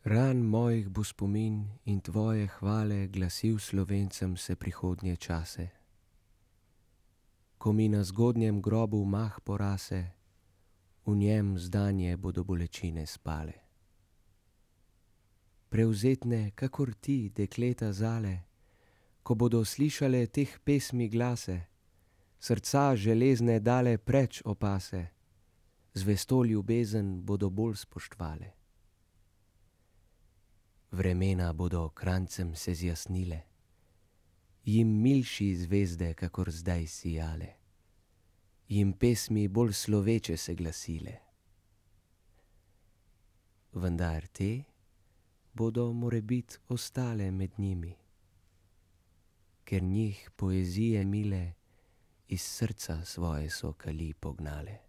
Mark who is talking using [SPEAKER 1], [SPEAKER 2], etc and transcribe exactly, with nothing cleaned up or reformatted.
[SPEAKER 1] Ran mojih bo spomin in tvoje hvale glasil Slovencem se prihodnje čase. Ko mi na zgodnjem grobu mah porase, v njem zdanje bodo bolečine spale. Prevzetne, kakor ti, dekleta zale, ko bodo slišale teh pesmi glase, srca železne dale preč opase, zvesto ljubezen bodo bolj spoštovale. Vremena bodo krancem se zjasnile, jim milši zvezde, kakor zdaj sijale, jim pesmi bolj sloveče se glasile. Vendar te bodo morebit ostale med njimi, ker njih poezije mile iz srca svoje so kali pognale.